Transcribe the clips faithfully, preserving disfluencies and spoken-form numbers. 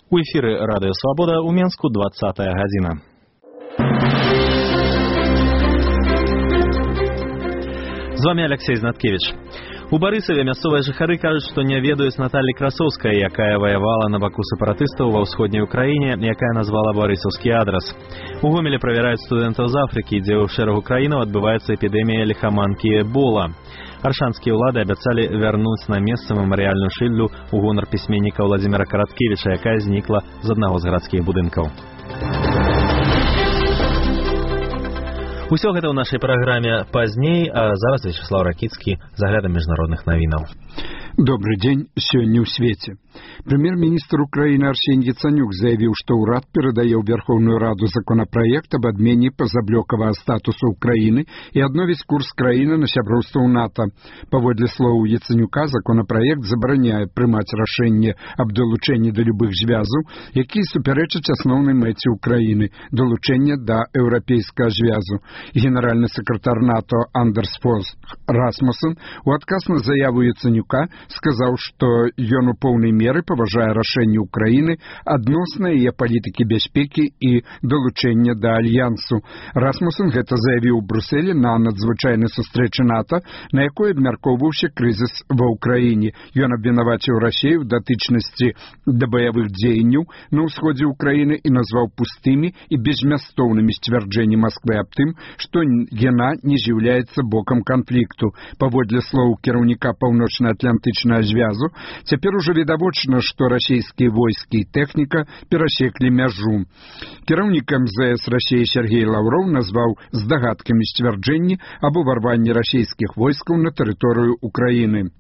У эфіры Радыё Свабода ў Менску двадцатая гадзіна. З вами Алексей Знаткевич. У Барысаве мясцовыя жыхары кажуць, што не ведаюць Наталлі Красоўскай, якая ваявала на баку сепаратыстаў ва ўсходняй Украіне, якая назвала барысаўскі адрас. У Гомелі правяраюць студэнтаў з Афрыкі, дзе ў шэрагу краінаў адбываецца эпідэмія ліхаманкі Эбола. Аршанскія ўлады абяцалі вярнуць на месца мемарыяльную шыльду ў гонар пісьменніка Владзіміра Караткевіча, якая знікла з аднаго з гарадскіх будынкаў. Усё гэта ў нашай праграме пазней, а зараз Вячеслав Ракіцкі з аглядам міжнародных навінаў. Добрый день. Сегодня в свете. Премьер-министр Украины Арсений Яценюк заявил, что урад передае в Верховную Раду законопроект об отмене позаблёкавага статуса Украины и обновить курс краіны на сяброўства ў НАТО. Паводле слоў Яценюка, законопроект забараняе прымаць рашэнне аб далучэнні да любых звязаў, якія супярэчаць асноўнай мэце Украины – далучэння да еўрапейскага звязу. Генеральный секретарь НАТО Андерс Фос Расмуссен у адказ на заяву Яценюка сказаў, што ён у поўнай меры паважае рашэнне Украіны адносна яе палітыкі бяспекі і далучэння да альянсу. Расмуссен гэта заявіў у Брюсселі на надзвычайнай сустрэчы НАТО, на якой абмяркоўваўся крызіс ва ўкраіне. Ён абвінаваціў Расею ў датычнасці да баявых дзеянняў на ўсходзе Украіны і назваў пустымі і беззмястоўнымі сцвярджэнні Масквы аб тым, што яна не з'яўляецца бокам канфлікту. Паводле слоў кіраўніка паўночна-атлантычнага звязу, цяпер ужо відавочна, што расійскія войскі і тэхніка перасеклі мяжу. Кіраўнік эм зэ эс Расіі Сергей Лаўроў назваў здагадкамі сцвярджэнні аб уварванні расійскіх войскаў на тэрыторыю Украіны.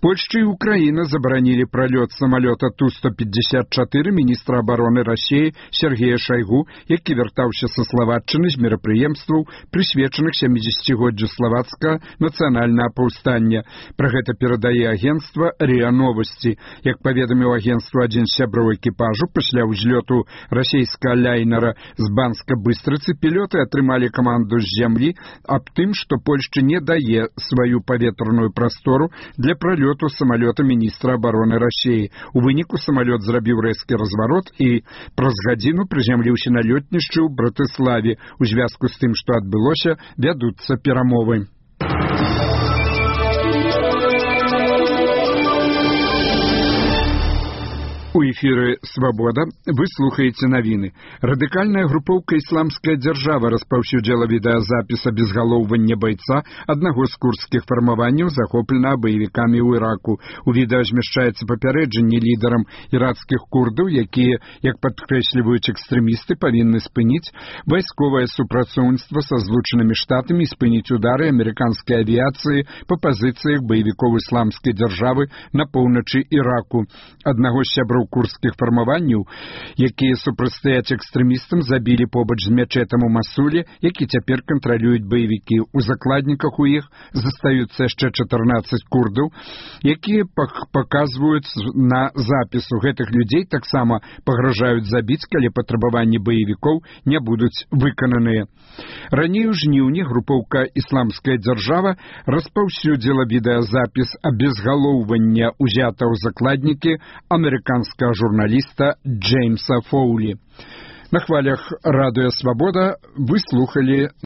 Польшча и Украина забаранили пролет самолета Ту сто пятьдесят четыре министра обороны России Сергея Шойгу, які вяртаўся са Словаччыны з мерапрыемстваў, прысвечаных сямідзесяцігоддзю славацкага нацыянальнага паўстання. Пра гэта перадае агенцтва РИА Новости. Як паведаміў агенцтва адзін з сяброў экіпажу, пасля ўзлёту расійскага ляйнера з Банска-Быстрыцы пілёты атрымалі каманду з зямлі аб тым, што Польшча не дае сваю паветраную прастору для пролету самолета министра обороны России. У выніку самолет зрабіў рэзкі разварот і праз гадзіну прызямліўся на лётнішчы ў Братыславе. У звязку з тым, што адбылося, вядуцца перамовы. У эфіры «Свабода» вы слухаеце навіны. Радыкальная групоўка «Ісламская дзяржава» распаўсюдзіла відэазапіс абезгалоўвання байца аднаго з курдскіх фармаванняў, захопленага баевікамі ў Іраку. У відэа змяшчаецца папярэджанне лідарам іракскіх курдаў, якія, як падкрэсліваюць экстрэмісты, павінны спыніць вайсковае супрацоўніцтва са Злучанымі Штатамі і спыніць удары амерыканскай авіяцыі па пазіцыях баевікоў ісламскай дзяржавы на поўначы Іраку. Аднаго з сяброў курдскіх фармаванняў, якія супрацьстаяць экстрэмістам, забілі побач з мячэтам у Масуле, які цяпер кантралююць баевікі. У закладніках у іх застаюцца яшчэ чатырнаццаць курдаў, якія паказваюць на запісу. Гэтых людзей таксама пагражаюць забіць, калі патрабаванні баевікоў не будуць выкананыя. Раней у жніўні групоўка «Ісламская дзяржава» распаўсюдзіла відэазапіс абезгалоўвання узятага ў закладнікі амерыканскага журналіста Джеймса Фоулі. На хвалях Радыё Свабода вы слухали